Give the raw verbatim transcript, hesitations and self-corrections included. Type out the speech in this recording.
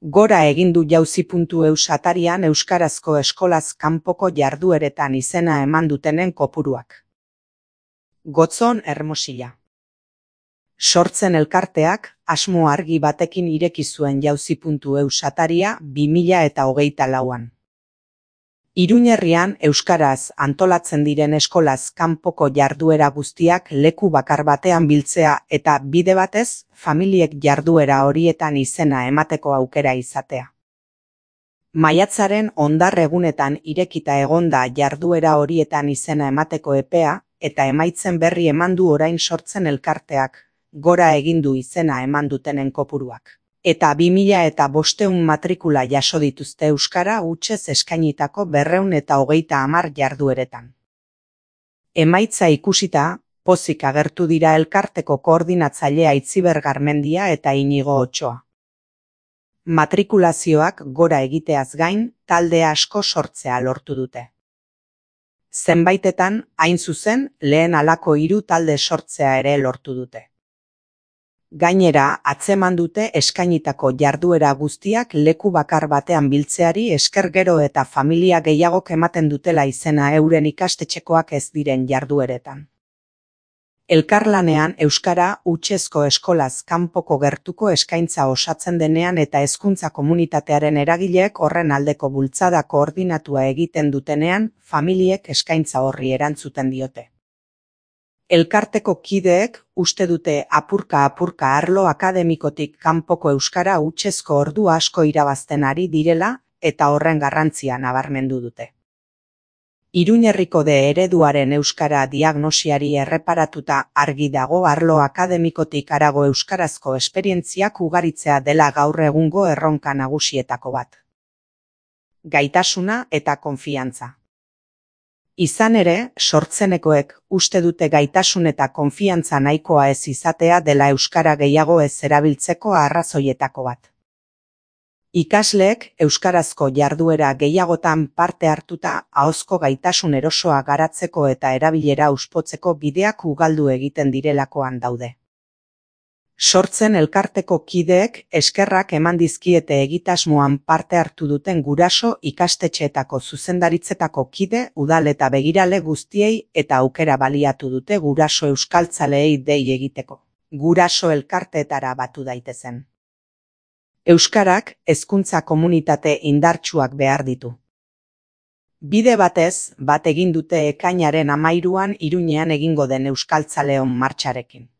Gora egin du jauzi puntu eus atarian euskarazko eskolaz kanpoko jardueretan izena eman dutenen kopuruak. Gotzon Hermosilla. Sortzen elkarteak asmo argi batekin ireki zuen jauzi puntu eus ataria bi mila eta hogeita lauan. Iruñerrian euskaraz antolatzen diren eskolaz kanpoko jarduera guztiak leku bakar batean biltzea eta bide batez familiek jarduera horietan izena emateko aukera izatea. Maiatzaren hondar egunetan irekita egonda jarduera horietan izena emateko epea eta emaitzen berri eman du orain sortzen elkarteak, gora egin du izena eman dutenen kopuruak. Eta bi mila eta bostehun matrikula jaso dituzte euskara hutsez eskainitako berrehun eta hogeita hamar jardueretan. Emaitza ikusita, pozik agertu dira elkarteko koordinatzailea Itziber Garmendia eta Inigo Otsoa. Matrikulazioak gora egiteaz gain, talde asko sortzea lortu dute. Zenbaitetan, hain zuzen, lehen halako hiru talde sortzea ere lortu dute. Gainera, atzeman dute eskainitako jarduera guztiak leku bakar batean biltzeari esker gero eta familia gehiagok ematen dutela izena euren ikastetxekoak ez diren jardueretan. Elkarlanean euskara hutsezko eskolaz kanpoko gertuko eskaintza osatzen denean eta hezkuntza komunitatearen eragileek horren aldeko bultzada koordinatua egiten dutenean, familiek eskaintza horri erantzuten diote. Elkarteko kideek uste dute apurka-apurka arlo akademikotik kanpoko euskara hutsezko ordu asko irabazten ari direla eta horren garrantzia nabarmendu dute. Iruñerriko de ereduaren euskara diagnosiari erreparatuta argi dago arlo akademikotik harago euskarazko esperientziak ugaritzea dela gaur egungo erronka nagusietako bat. Gaitasuna eta konfiantza. Izan ere, sortzenekoek uste dute gaitasun eta konfiantza nahikoa ez izatea dela euskara gehiago ez erabiltzeko arrazoietako bat. Ikasleek euskarazko jarduera gehiagotan parte hartuta ahozko gaitasun erosoa garatzeko eta erabilera uspotzeko bideak ugaldu egiten direlakoan daude. Sortzen elkarteko kideek eskerrak eman dizkiete egitasmoan parte hartu duten guraso ikastetxeetako zuzendaritzetako kide, udal eta begirale guztiei eta aukera baliatu dute guraso euskaltzaleei dei egiteko. Guraso elkarteetara batu daitezen. Euskarak hezkuntza komunitate indartsuak behar ditu. Bide batez, bat egin dute ekainaren hamairuan Iruñean egingo den euskaltzaleon martxarekin.